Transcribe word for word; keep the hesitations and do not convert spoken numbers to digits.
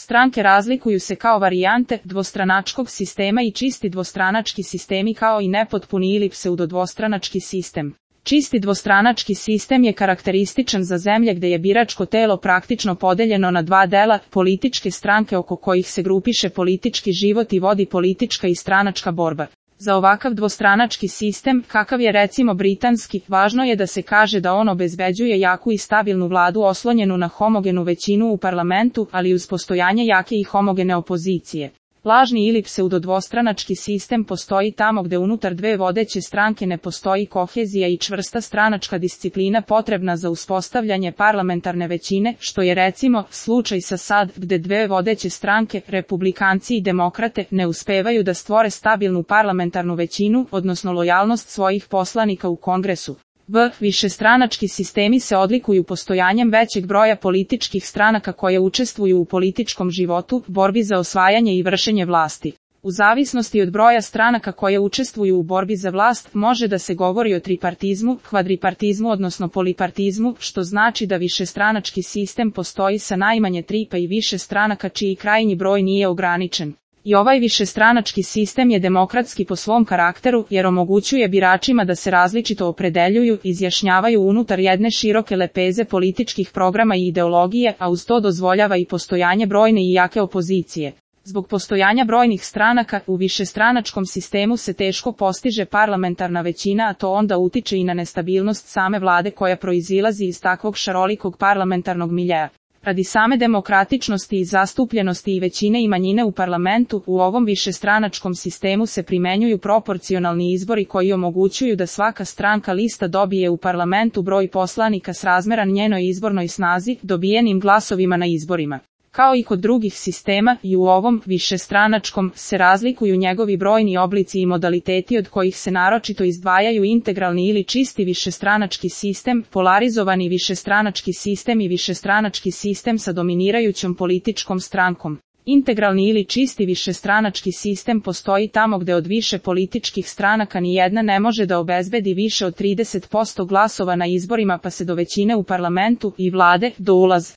Stranke razlikuju se kao varijante dvostranačkog sistema i čisti dvostranački sistemi kao i nepotpuni ili pseudodvostranački sistem. Čisti dvostranački sistem je karakterističan za zemlje gde je biračko telo praktično podeljeno na dva dela, političke stranke oko kojih se grupiše politički život i vodi politička i stranačka borba. Za ovakav dvostranački sistem, kakav je recimo britanski, važno je da se kaže da on obezbeđuje jaku i stabilnu vladu oslonjenu na homogenu većinu u parlamentu, ali uz postojanje jake i homogene opozicije. Lažni ili pseudodvostranački sistem postoji tamo gde unutar dve vodeće stranke ne postoji kohezija i čvrsta stranačka disciplina potrebna za uspostavljanje parlamentarne većine, što je recimo slučaj sa sad, gde dve vodeće stranke, republikanci i demokrate, ne uspevaju da stvore stabilnu parlamentarnu većinu, odnosno lojalnost svojih poslanika u Kongresu. V. Višestranački sistemi se odlikuju postojanjem većeg broja političkih stranaka koje učestvuju u političkom životu, borbi za osvajanje i vršenje vlasti. U zavisnosti od broja stranaka koje učestvuju u borbi za vlast, može da se govori o tripartizmu, kvadripartizmu odnosno polipartizmu, što znači da višestranački sistem postoji sa najmanje tri pa i više stranaka čiji krajnji broj nije ograničen. I ovaj višestranački sistem je demokratski po svom karakteru, jer omogućuje biračima da se različito opredeljuju, izjašnjavaju unutar jedne široke lepeze političkih programa i ideologije, a uz to dozvoljava i postojanje brojne i jake opozicije. Zbog postojanja brojnih stranaka, u višestranačkom sistemu se teško postiže parlamentarna većina, a to onda utiče i na nestabilnost same vlade koja proizilazi iz takvog šarolikog parlamentarnog miljeja. Radi same demokratičnosti i zastupljenosti i većine i manjine u parlamentu, u ovom višestranačkom sistemu se primenjuju proporcionalni izbori koji omogućuju da svaka stranka lista dobije u parlamentu broj poslanika srazmeran njenoj izbornoj snazi, dobijenim glasovima na izborima. Kao i kod drugih sistema, i u ovom višestranačkom se razlikuju njegovi brojni oblici i modaliteti od kojih se naročito izdvajaju integralni ili čisti višestranački sistem, polarizovani višestranački sistem i višestranački sistem sa dominirajućom političkom strankom. Integralni ili čisti višestranački sistem postoji tamo gde od više političkih stranaka ni jedna ne može da obezbedi više od trideset posto glasova na izborima pa se do većine u parlamentu i vlade dolazi.